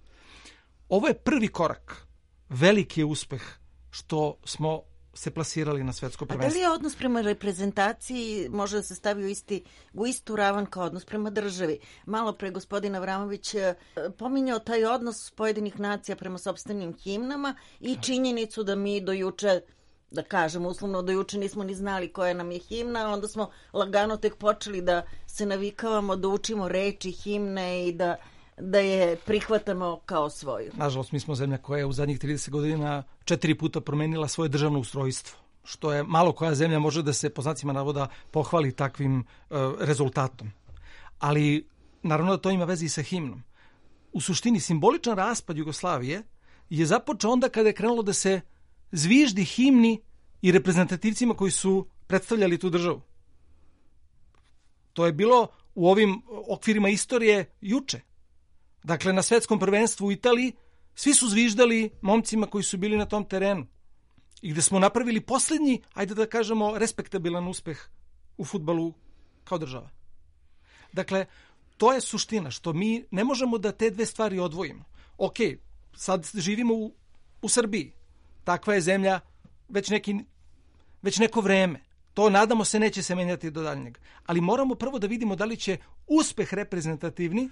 Ovo je prvi korak. Veliki je uspeh što smo se plasirali na svetsko prvenstvo.
A da li je odnos prema reprezentaciji može da se stavi u istu ravan kao odnos prema državi? Malo pre gospodin Avramović pominjao taj odnos pojedinih nacija prema sopstvenim himnama i činjenicu da mi do juče, da kažem uslovno, do juče nismo ni znali koja nam je himna, onda smo lagano tek počeli da se navikavamo, da učimo reči himne i da je prihvatamo kao svoju.
Nažalost, mi smo zemlja koja je u zadnjih 30 godina 4 puta promenila svoje državno ustrojstvo, što je malo koja zemlja može da se po znacima navoda pohvali takvim rezultatom. Ali naravno da to ima veze i sa himnom. U suštini, simboličan raspad Jugoslavije je započeo onda kada je krenulo da se zviždi himni i reprezentativcima koji su predstavljali tu državu. To je bilo u ovim okvirima istorije juče. Dakle, na svetskom prvenstvu u Italiji svi su zviždali momcima koji su bili na tom terenu. I gde smo napravili posljednji, ajde da kažemo, respektabilan uspeh u fudbalu kao država. Dakle, to je suština, što mi ne možemo da te dve stvari odvojimo. Ok, sad živimo u Srbiji. Takva je zemlja već neko vreme. To, nadamo se, neće se menjati do daljnjeg. Ali moramo prvo da vidimo da li će uspeh reprezentativni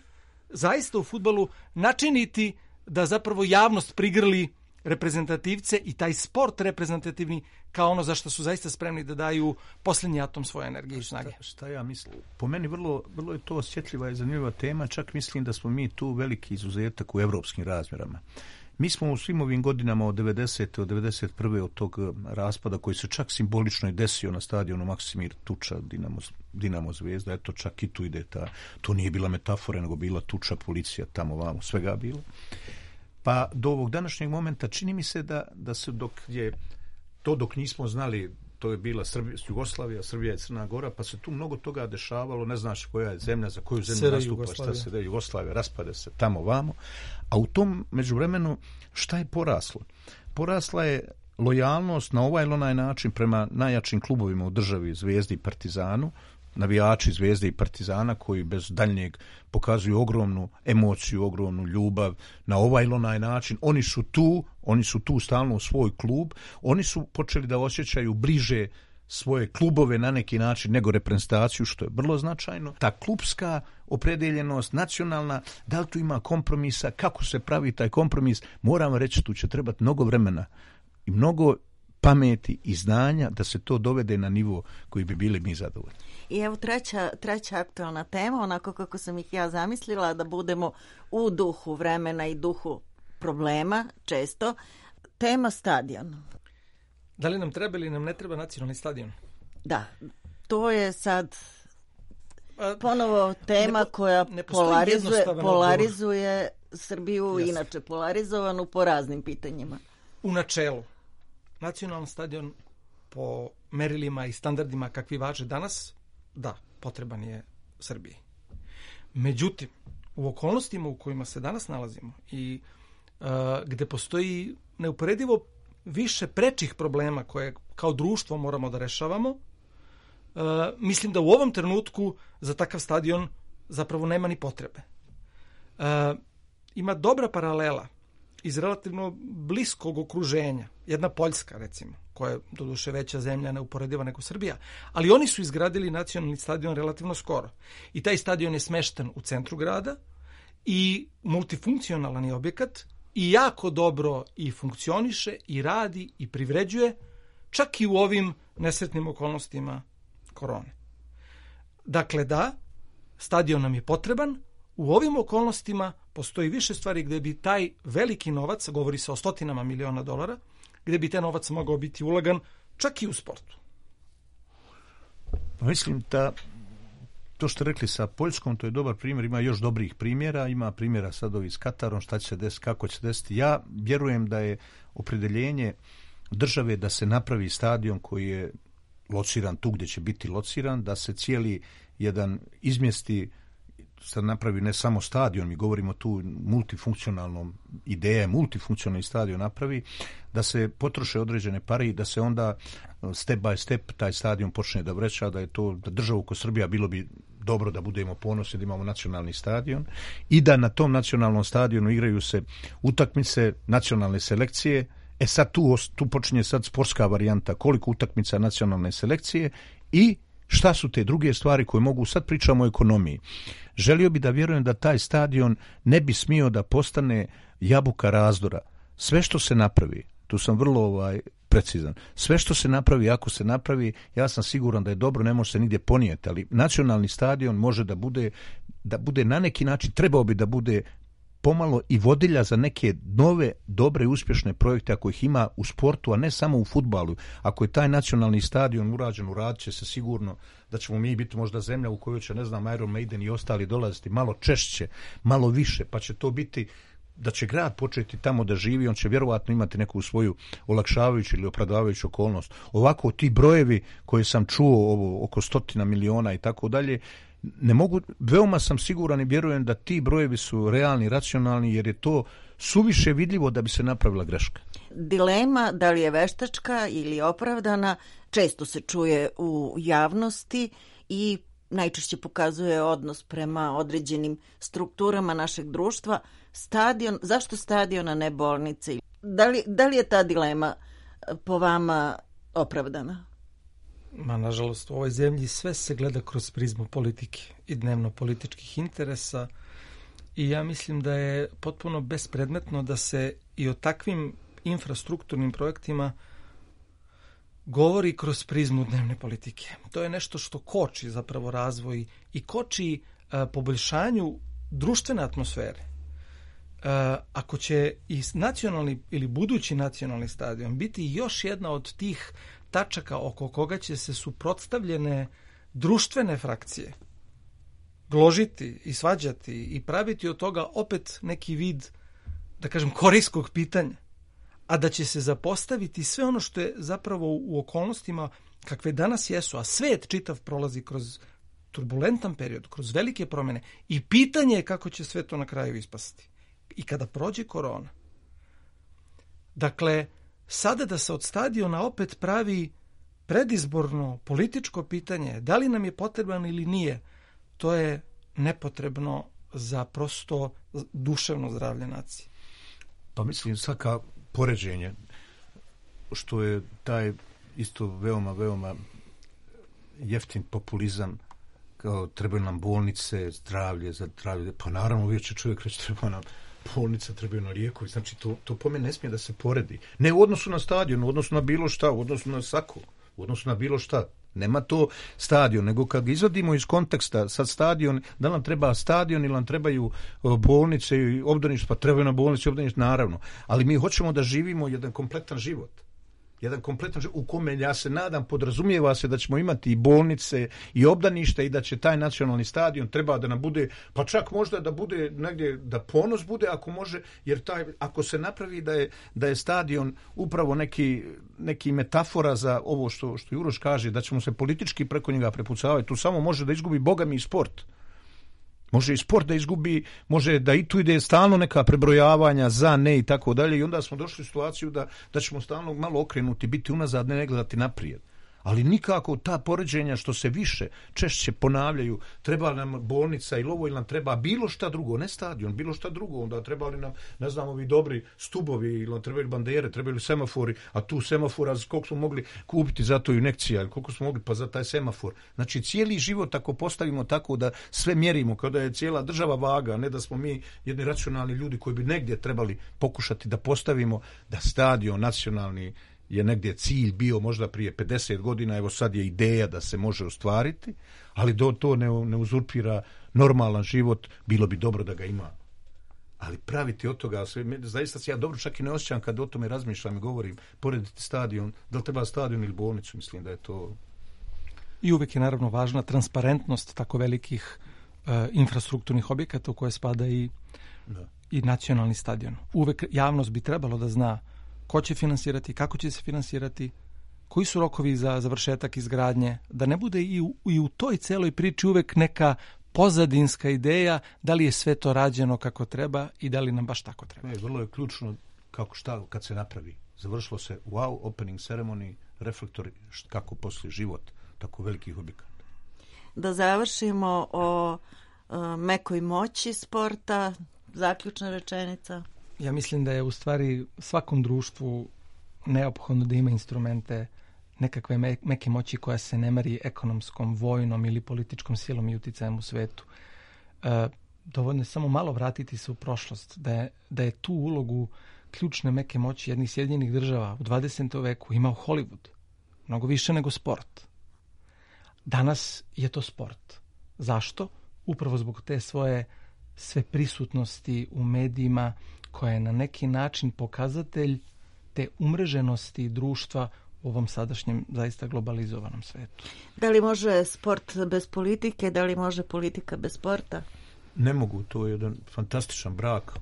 zaista u fudbalu načiniti da zapravo javnost prigrli reprezentativce i taj sport reprezentativni kao ono za što su zaista spremni da daju posljednji atom svoje energije i snage.
Šta ja mislim? Po meni vrlo je to osjetljiva i zanimljiva tema, čak mislim da smo mi tu veliki izuzetak u evropskim razmjerama. Mi smo u svim ovim godinama od 90. od 91. od tog raspada koji se čak simbolično i desio na stadionu Maksimir Tuča, Dinamo Zvezda, eto čak i tu ide to nije bila metafora, nego bila tuča, policija, tamo vamo, svega bilo. Pa do ovog današnjeg momenta čini mi se da se dok nismo znali, to je bila Jugoslavija, Srbija i Crna Gora, pa se tu mnogo toga dešavalo, ne znaš koja je zemlja, za koju zemlju nastupa, šta se da Jugoslavija, raspade se tamo vamo, a u tom međuvremenu šta je poraslo? Porasla je lojalnost na ovaj ili onaj način prema najjačim klubovima u državi, Zvezdi i Partizanu, navijači Zvezde i Partizana koji bez daljnjeg pokazuju ogromnu emociju, ogromnu ljubav na ovaj ili onaj način. Oni su tu stalno u svoj klub, oni su počeli da osjećaju bliže svoje klubove na neki način nego reprezentaciju, što je vrlo značajno. Ta klubska opredeljenost, nacionalna, da li tu ima kompromisa, kako se pravi taj kompromis, moram reći, tu će trebati mnogo vremena i mnogo pameti i znanja da se to dovede na nivo koji bi bili mi zadovoljni.
I evo treća aktualna tema, onako kako sam ih ja zamislila, da budemo u duhu vremena i duhu problema, često. Tema stadion.
Da li nam treba ili nam ne treba nacionalni stadion?
Da, to je sad ponovo tema koja polarizuje Srbiju, inače polarizovanu po raznim pitanjima.
U načelu, nacionalni stadion po merilima i standardima kakvi važe danas, da, potreban je Srbiji. Međutim, u okolnostima u kojima se danas nalazimo i gde postoji neuporedivo više prečih problema koje kao društvo moramo da rešavamo, mislim da u ovom trenutku za takav stadion zapravo nema ni potrebe. Ima dobra paralela iz relativno bliskog okruženja. Jedna Poljska, recimo, koja je doduše veća zemlja, neuporediva nego Srbija, ali oni su izgradili nacionalni stadion relativno skoro. I taj stadion je smešten u centru grada i multifunkcionalan je objekat i jako dobro i funkcioniše i radi i privređuje, čak i u ovim nesretnim okolnostima korone. Dakle, da, stadion nam je potreban. U ovim okolnostima postoji više stvari gde bi taj veliki novac, govori se o $100 miliona, gde bi taj novac mogao biti ulagan čak i u sportu.
Mislim da to što rekli sa Poljskom, to je dobar primjer, ima još dobrih primjera, ima primjera sad ovi s Katarom, šta će se desiti, kako će se desiti. Ja vjerujem da je opredeljenje države da se napravi stadion koji je lociran tu gdje će biti lociran, da se cijeli jedan izmjesti, sad napravi ne samo stadion, mi govorimo tu multifunkcionalnom, ideja je multifunkcionalni stadion napravi, da se potroše određene pare i da se onda step by step taj stadion počne da vreća, da je to da državu ko Srbija bilo bi dobro da budemo ponosni da imamo nacionalni stadion i da na tom nacionalnom stadionu igraju se utakmice nacionalne selekcije. Sad tu počinje sad sportska varijanta, koliko utakmica nacionalne selekcije i šta su te druge stvari koje mogu, sad pričamo o ekonomiji. Želio bi da vjerujem da taj stadion ne bi smio da postane jabuka razdora. Sve što se napravi, tu sam vrlo precizan, sve što se napravi, ako se napravi, ja sam siguran da je dobro, ne može se nigdje ponijeti, ali nacionalni stadion može da bude na neki način, trebao bi da bude pomalo i vodilja za neke nove, dobre i uspješne projekte ako ih ima u sportu, a ne samo u fudbalu. Ako je taj nacionalni stadion urađen, uradit će se sigurno da ćemo mi biti možda zemlja u kojoj će, ne znam, Iron Maiden i ostali dolaziti malo češće, malo više, pa će to biti da će grad početi tamo da živi, on će vjerovatno imati neku svoju olakšavajuću ili opravdavajuću okolnost. Ovako ti brojevi koje sam čuo, oko 100 miliona i tako dalje, ne mogu, veoma sam siguran i vjerujem da ti brojevi su realni, racionalni, jer je to suviše vidljivo da bi se napravila greška.
Dilema da li je veštačka ili opravdana često se čuje u javnosti i najčešće pokazuje odnos prema određenim strukturama našeg društva. Stadion, zašto stadion, a ne bolnice? Da li je ta dilema po vama opravdana?
Nažalost, u ovoj zemlji sve se gleda kroz prizmu politike i dnevno političkih interesa i ja mislim da je potpuno bespredmetno da se i o takvim infrastrukturnim projektima govori kroz prizmu dnevne politike. To je nešto što koči zapravo razvoj i koči poboljšanju društvene atmosfere. Ako će i nacionalni ili budući nacionalni stadion biti još jedna od tih tačaka oko koga će se suprotstavljene društvene frakcije gložiti i svađati i praviti od toga opet neki vid, da kažem, korijskog pitanja, a da će se zapostaviti sve ono što je zapravo u okolnostima kakve danas jesu, a svet čitav prolazi kroz turbulentan period, kroz velike promjene i pitanje je kako će sve to na kraju ispasti. I kada prođe korona. Dakle, sada da se od stadiona opet pravi predizborno političko pitanje, da li nam je potreban ili nije, to je nepotrebno za prosto duševno zdravlje nacije.
Pa mislim, svaka poređenje, što je taj isto veoma jeftin populizam, kao trebaju nam bolnice, zdravlje, pa naravno uvijek će čovjek reći treba nam bolnica, trebaju na lijekovi, znači to po meni ne smije da se poredi. Ne u odnosu na stadion, u odnosu na bilo šta, u odnosu na sako, u odnosu na bilo šta. Nema to stadion, nego kad ga izvadimo iz konteksta, sad stadion, da nam treba stadion ili nam trebaju bolnice i obdanište, pa trebaju na bolnice i obdanište, naravno. Ali mi hoćemo da živimo jedan kompletan život. jedan kompletan život u kome, ja se nadam, podrazumijeva se da ćemo imati i bolnice i obdanište i da će taj nacionalni stadion treba da nam bude, pa čak možda da bude negdje, da ponos bude ako može, jer ako se napravi da je stadion upravo neki metafora za ovo što Juroš kaže, da ćemo se politički preko njega prepucavati, tu samo može da izgubi bogami i sport. Može i sport da izgubi, može da i tu ide stalno neka prebrojavanja za, ne i tako dalje i onda smo došli u situaciju da ćemo stalno malo okrenuti, biti unazad, ne gledati naprijed. Ali nikako ta poređenja što se više, češće ponavljaju, treba nam bolnica ili ovo, ili nam treba bilo šta drugo, ne stadion, bilo šta drugo, onda trebali nam, ne znam, ovi dobri stubovi, ili nam trebaju bandere, trebaju semafori, a tu semafora, koliko smo mogli kupiti za to injekcija, ili koliko smo mogli pa za taj semafor. Znači, cijeli život ako postavimo tako da sve mjerimo, kao da je cijela država vaga, ne da smo mi jedni racionalni ljudi koji bi negdje trebali pokušati da postavimo da stadion nacionalni je negdje cilj bio možda prije 50 godina, evo sad je ideja da se može ostvariti, ali to ne uzurpira normalan život, bilo bi dobro da ga ima. Ali praviti od toga, zaista se ja dobro čak i ne osjećam kad o tome razmišljam i govorim, porediti stadion, da li treba stadion ili bolnicu, mislim da je to...
I uvijek je naravno važna transparentnost tako velikih infrastrukturnih objekata u koje spada i nacionalni stadion. Uvijek javnost bi trebalo da zna ko će finansirati, kako će se finansirati, koji su rokovi za završetak izgradnje, da ne bude i u toj celoj priči uvek neka pozadinska ideja da li je sve to rađeno kako treba i da li nam baš tako treba.
Vrlo je ključno kad se napravi. Završilo se wow, opening ceremony, reflektori, kako poslije život tako velikih objekata.
Da završimo o mekoj moći sporta, zaključna rečenica.
Ja mislim da je u stvari svakom društvu neophodno da ima instrumente nekakve meke moći koja se ne meri ekonomskom, vojnom ili političkom silom i uticajem u svetu. Dovoljno je samo malo vratiti se u prošlost, da je tu ulogu ključne meke moći jednih Sjedinjenih država u 20. veku imao Hollywood, mnogo više nego sport. Danas je to sport. Zašto? Upravo zbog te svoje sve prisutnosti u medijima, koja je na neki način pokazatelj te umreženosti društva u ovom sadašnjem zaista globalizovanom svetu.
Da li može sport bez politike, da li može politika bez sporta?
Ne mogu, to je jedan fantastičan brak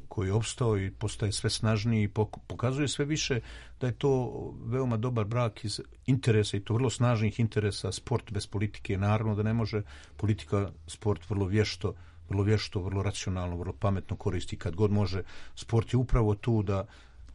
koji je opstao i postaje sve snažniji i pokazuje sve više da je to veoma dobar brak iz interesa i to vrlo snažnih interesa. Sport bez politike, naravno da ne može, politika sport vrlo vješto, vrlo racionalno, vrlo pametno koristi kad god može. Sport je upravo tu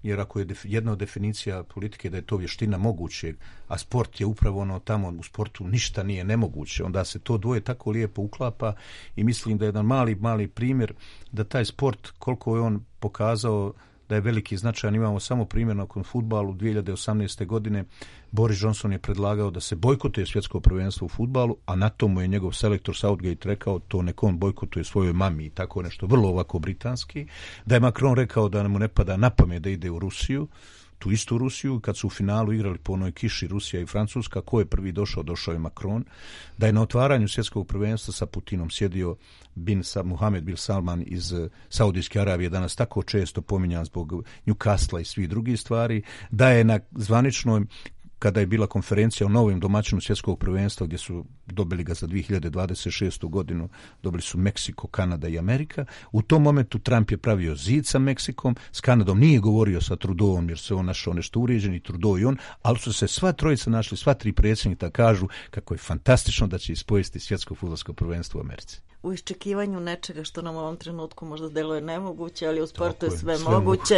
jer ako je jedna od definicija politike da je to vještina mogućeg, a sport je upravo ono tamo, u sportu ništa nije nemoguće, onda se to dvoje tako lijepo uklapa i mislim da je jedan mali primjer da taj sport, koliko je on pokazao da je veliki značajan. Imamo samo primjer nakon fudbalu 2018. godine. Boris Johnson je predlagao da se bojkotuje svjetsko prvenstvo u fudbalu, a na tomu je njegov selektor Southgate rekao to nek on bojkotuje svojoj mami i tako nešto, vrlo ovako britanski. Da je Macron rekao da mu ne pada na pamet da ide u Rusiju, tu istu Rusiju, kad su u finalu igrali po onoj kiši Rusija i Francuska, ko je prvi došao je Macron. Da je na otvaranju svjetskog prvenstva sa Putinom sjedio Mohammed bin Salman iz Saudijske Arabije, danas tako često pominjan zbog Newcastle i svih drugih stvari. Da je na zvaničnoj, kada je bila konferencija o novim domaćinu svjetskog prvenstva gdje su dobili ga za 2026. godinu, dobili su Meksiko, Kanada i Amerika. U tom momentu Trump je pravio zid sa Meksikom, s Kanadom nije govorio sa Trudeauom jer se on našao nešto uređen i Trudeau i on, ali su se sva trojica našli, sva tri predsjednika kažu kako je fantastično da će ispojesti svjetsko fudbalsko prvenstvo u Americi.
U iščekivanju nečega što nam u ovom trenutku možda deluje nemoguće, ali u sportu je sve moguće.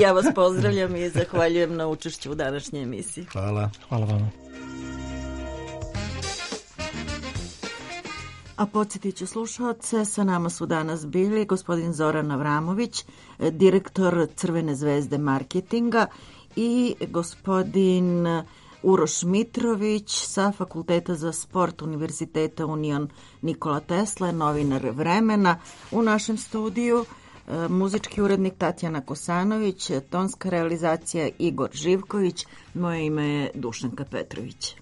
Ja vas pozdravljam i zahvaljujem na učešću u današnjoj emisiji.
Hvala.
Hvala vama.
A podsjetit ću slušalce, sa nama su danas bili gospodin Zoran Avramović, direktor Crvene zvezde marketinga i gospodin Uroš Mitrović sa Fakulteta za sport Univerziteta Union Nikola Tesla, novinar Vremena. U našem studiju muzički urednik Tatjana Kosanović, tonska realizacija Igor Živković, moje ime je Dušanka Petrović.